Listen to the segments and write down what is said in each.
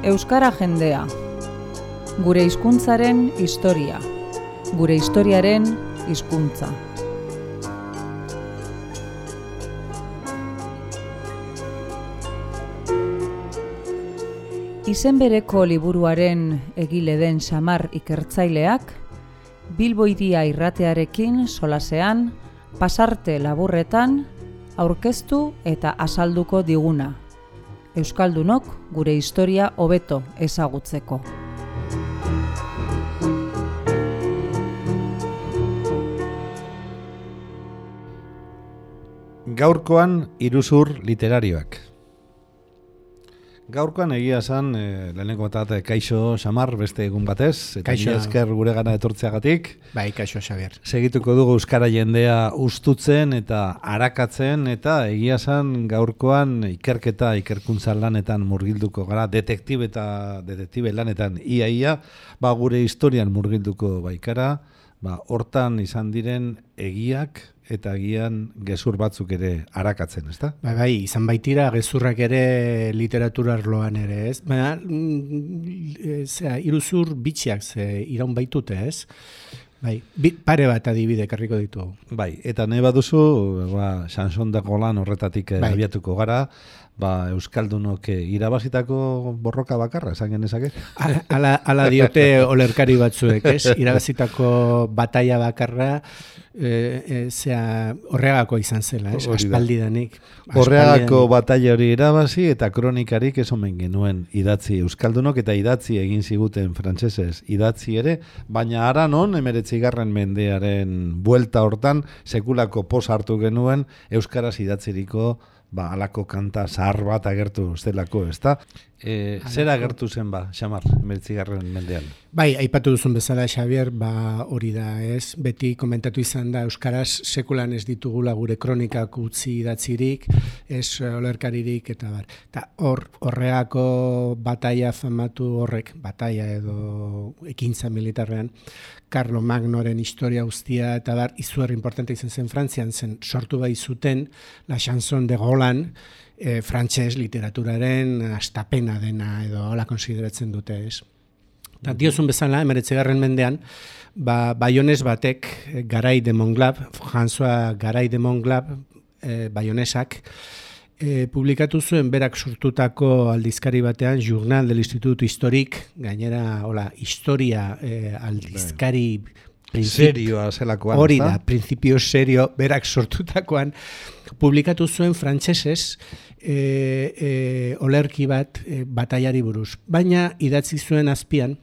Euskara jendea. Gure hizkuntzaren historia. Gure historiaren hizkuntza. Izen bereko liburuaren egile den Xamar ikertzaileak, Bilbo Hiria irratearekin solasean, pasarte laburretan, aurkeztu eta azalduko diguna. Euskaldunok gure historia hobeto ezagutzeko. Gaurkoan iruzur literarioak. Gaurkoan egia esan, lehenengo bat kaixo Xamar beste egun batez, eta mila esker gure gana etortzeagatik. Bai, kaixo Xabier. Segituko dugu euskara jendea ustutzen eta arakatzen, eta egia esan gaurkoan ikerkuntza lanetan murgilduko gara, detektibe lanetan ia, gure historian murgilduko baikara, hortan izan diren egiak, eta agian gezur batzuk ere arakatzen, ezta? Bai, izan baitira gezurrak ere literatura arloan ere, ez? Baina, iruzur bitxiak iraun baitute, ez? Bai, pare bat adibide karriko ditugu. Bai, eta nahi baduzu, Sanson da Golan horretatik abiatuko gara, Euskaldunok irabazitako borroka bakarra, esan genezake? Ala diote olerkari batzuek, ez? Irabazitako bataia bakarra, horregako izan zela, ez? Aspaldidanik. Horregako bataia hori irabazi eta kronikarik ez omen genuen idatzi Euskaldunok, eta idatzi egin ziguten frantsesez idatzi ere, baina ara non, 19. mendearen buelta hortan, sekulako poz hartu genuen euskaraz idatziriko alako kanta zahar bat agertu zelako, ezta? Zer agertu zen Xamar, 19. mendean? Bai, aipatu duzun bezala, Xabier, hori da, ez? Beti komentatu izan da, euskaraz sekulan ez ditugula gure kronikak utzi idatzirik, ez olerkaririk, eta bar. Eta horreako bataia famatu horrek, bataia edo ekintza militarrean, Carlo Magnoren historia guztia, eta bar, izugarri importante izan zen Frantzian zen, sortu bai zuten La Chanson de Golan, frantses literaturaren astapena dena edo hola konsideratzen dute, ez. Eta diozun bezala, 19. mendean, Baionez batek, Garay de Montglab, François Garay de Montglab, Baionesak, publikatu zuen berak sortutako aldizkari batean, Journal de l'Institut Historique, gainera, historia aldizkari serioa zelakoan. Hori da, principio serio, berak sortutakoan, publikatu zuen frantsesez olerki bat bataiari buruz. Baina idatzi zuen azpian,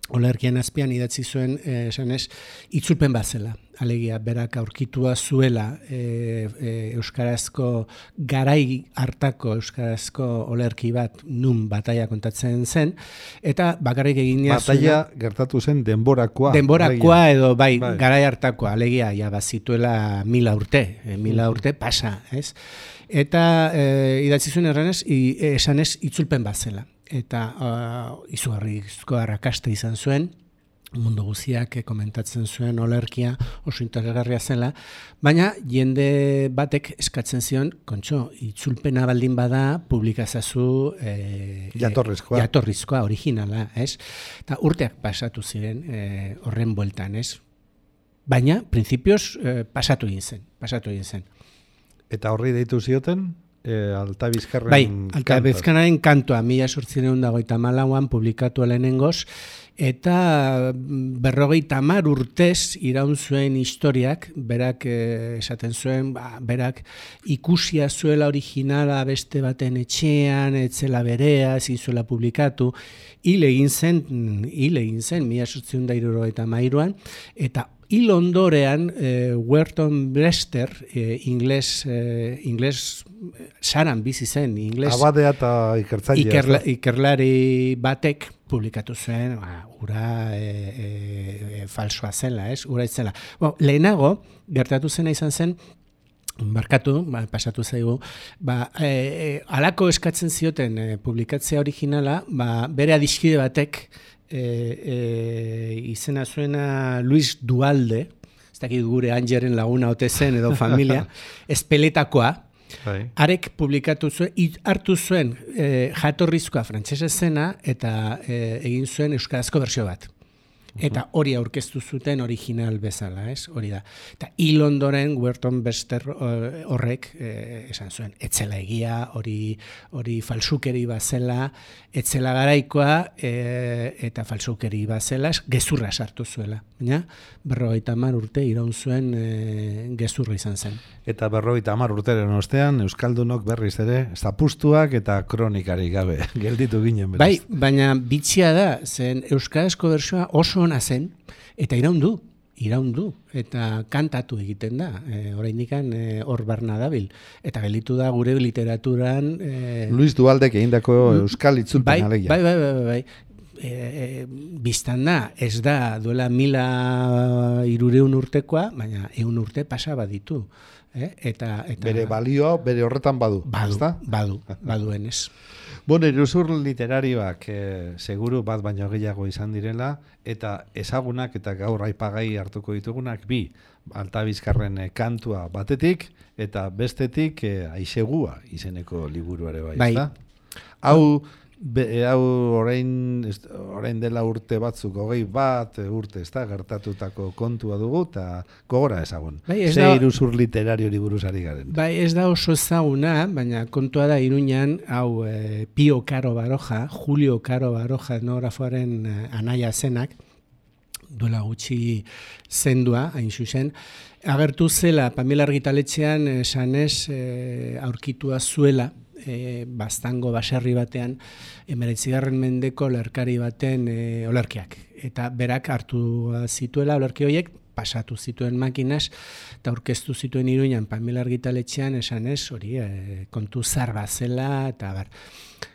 olerkian azpian idatzi zuen esanez, itzulpen bat zela. Alegia, berak aurkitua zuela euskarazko garai hartako euskarazko olerki bat nun bataia kontatzen zen, eta bakarrik eginea bataia gertatu zen denborakoa. Denborakoa edo garai hartakoa, alegia, bazituela 1000 urte, 1000 urte pasa, ez? Eta idatzi zuen esanez itzulpen bat zela. Eta izugarrizko arrakasta izan zuen, mundu guztiak komentatzen zuen olerkia oso interesgarria zela, baina jende batek eskatzen zion, kontxo, itzulpena baldin bada publikazazu jatorrizkoa, originala, ez? Eta urteak pasatu ziren horren bueltan, ez? Baina, printzipioz, pasatu egin zen. Eta horri deitu zioten? Alta Bizkarren bai, Alta Bizkarren kantoa 1854an publikatu lehenengoz, eta 50 urtez iraun zuen historiak, berak esaten zuen, berak ikusia zuela originala beste baten etxean, etzela berea, zizuela publikatu, hil egin zen 1873an, eta hil ondorean, Wharton Brewster, ingles saran bizi zen, ingles abadea eta ikertzailea. Ikerlari batek publikatu zuen, ura falsoa zela, ez? Ura itzela. Lehenago, gertatu zena izan zen, markatu, pasatu zaigu, alako eskatzen zioten publikatzea originala, bere adiskide batek, izena zuena Luis Dualde, ez dakit gure Angeren laguna ote zen edo familia, espeletakoa, Arek publikatu zuen, hartu zuen jatorrizkoa frantsesez zena eta egin zuen euskarazko bersio bat. Eta hori aurkeztu zuten original bezala, hori da. Eta hil ondoren Werton Bester horrek esan zuen, etzela egia, hori falsukeri bazela, etzela garaikoa eta falsukeri bazela, gezurra sartu zuela. Baina 50 urte iraun zuen gezurra izan zen. Eta 50 urteren ostean, Euskaldunok berriz ere, zapustuak eta kronikari gabe gelditu ginen beraz. Bai, baina bitxia da, zen euskarazko bertsioa oso ona zen, eta iraundu, eta kantatu egiten da, oraindikan hor barna dabil. Eta gelditu da gure literaturan... Luis Dualdek egindako euskal itzulpen alegia. Bai. Biztan da, ez da duela 1300 urtekoa, baina 100 urte pasaba ditu. Eta bere balioa, bere horretan badu. Baduen ez. Bueno, iruzur literarioak seguru bat baino gehiago izan direla, eta ezagunak eta gaur aipagai hartuko ditugunak bi, Altabizkarren kantua batetik, eta bestetik Aizegua izeneko liburuare bai. Hau orain dela urte batzuk, 21 urte, gertatutako kontua dugu, eta gogora ezagun. Ze iruzur literariori buruzari garen. Bai, ez da oso ezaguna, baina kontua da Iruñan, hau Pio Caro Baroja, Julio Caro Baroja etnografoaren anaia zenak, duela gutxi zendua, hain zuzen, agertu zela Pamela argitaletxean esanez aurkitua zuela, Baztango baserri batean 19. mendeko olerkari baten olerkiak. Eta berak hartu zituela olerki horiek, pasatu zituen makinas, eta aurkeztu zituen Iruñan Pamela argitaletxean esanez, hori kontu zar bazela, eta bar.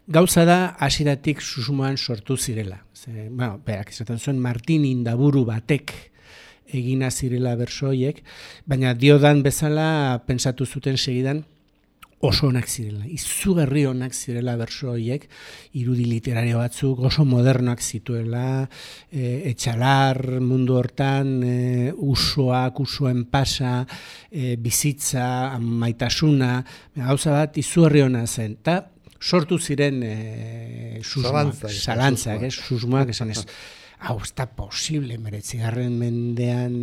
Gauza da, hasieratik susmoan sortu zirela. Berak esaten zuen Martin Indaburu batek egina zirela berso horiek, baina diodan bezala pentsatu zuten segidan, oso onak zirela, izugarri onak zirela berso horiek, irudi literario batzuk, oso modernoak zituela, etxalar mundu hortan, usoen pasa, bizitza, maitasuna, gauza bat izugarri ona zen. Eta sortu ziren zalantzak, susmoak esan ez. Hau, ez da posible, 19. mendean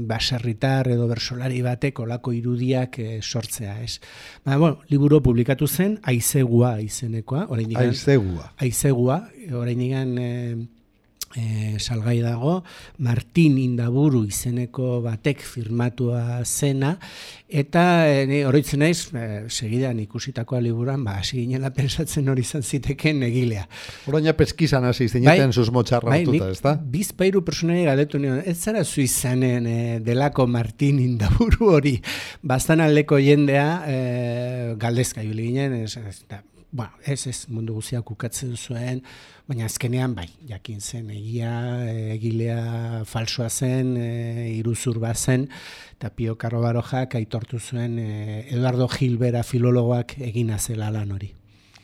baserritar edo bersolari batek olako irudiak sortzea, ez? Liburu publikatu zen, Aizegua izenekoa. Aizegua, oraindikan salgai dago, Martin Indaburu izeneko batek firmatua zena, eta oroitzen naiz, segidan ikusitakoa liburuan, hasi ginela pensatzen hori izan ziteken egilea. Oraina peskizan hasi zineten susmotxarra hartuta, ez da? Bizpairu personari galdetu nion, ez zara zu izanen delako Martin Indaburu hori, bastan aldeko jendea galdezka ibili ginen, ez mundu guztiak ukatzen zuen, baina azkenean jakin zen egilea falsoa zen, iruzur bat zen, eta Pio Caro Barojak aitortu zuen Eduardo Gilbera filologoak egina zela lan hori.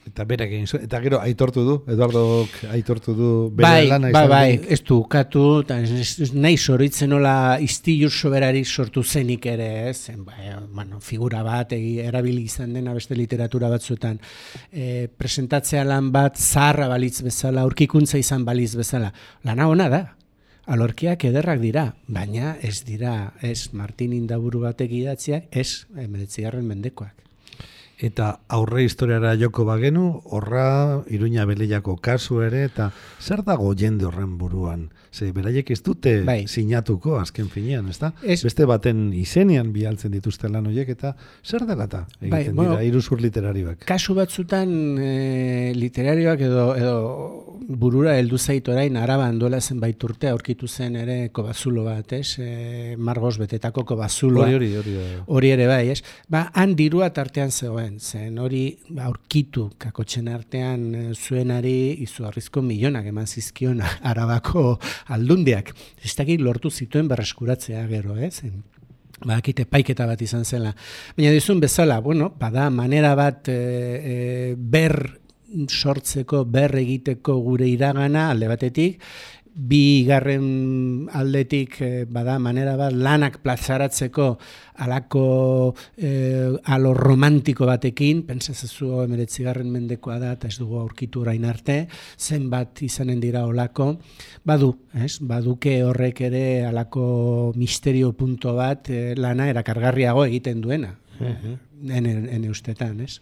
Eta berak egin zuen, eta gero Eduardok aitortu du bere lana izan. Bai, ez du ukatu, eta nahi soritzen nola istilu soberarik sortu zenik ere, ez? Figura bat, erabili izan dena beste literatura batzuetan, presentatzea lan bat zaharra balitz bezala, aurkikuntza izan balitz bezala. Lana ona da, alorkiak ederrak dira, baina ez dira, ez Martin Indaburu batek idatziak, ez 19. mendekoak. Eta aurre historiara joko bagenu, horra Iruña Beleiako kasu ere, eta zer dago jende horren buruan? Ze beraiek ez dute sinatuko azken finean, ez da? Beste baten izenean bialtzen dituzte lan horiek, eta zer dela eta egiten dira iruzur literarioak? Kasu batzutan literarioak edo burura heldu zait orain Araban duela zenbait urte aurkitu zen ere kobazulo bat, ez? Margos betetako kobazuloa. Hori ere bai, ez? Han dirua tartean zegoen, zen hori aurkitu kakotxen artean zuenari izugarrizko milionak eman zizkion Arabako aldundiak. Ez dakit lortu zituen berreskuratzea gero, ez? Bakite paiketa bat izan zela. Baina dizun bezala, bada manera bat ber sortzeko, ber egiteko gure iragana alde batetik, bigarren aldetik bada manera bat lanak plazaratzeko alako alo romantiko batekin, pentsazezu 19. mendekoa da eta ez dugu aurkitu orain arte, zenbat izanen dira olako, baduke horrek ere alako misterio punto bat lana erakargarriago egiten duena. Ene ustetan, ez?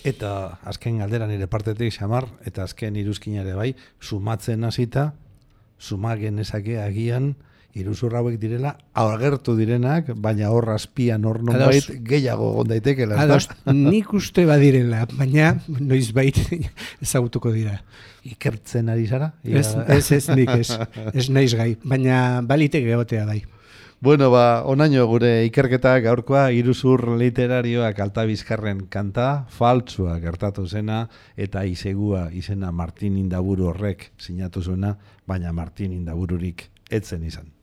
Eta azken galdera nire partetik Xamar, eta azken iruzkinare bai, sumatzen hasita, sumagen ezake agian, iruzur hauek direla, agertu direnak, baina hor azpian hor nonbait gehiago gondaitekela. Ados, nik uste badirela, baina noizbait ezagutuko dira. Ikertzen ari zara? Ez nik ez naiz gai, baina balitek egotea bai. Bueno, onaino gure ikerketa gaurkoa iruzur literarioak Altabizkarren kanta, faltsua gertatu zena, eta izegua izena Martin Indaburu horrek sinatu zuena, baina Martin Indabururik etzen izan.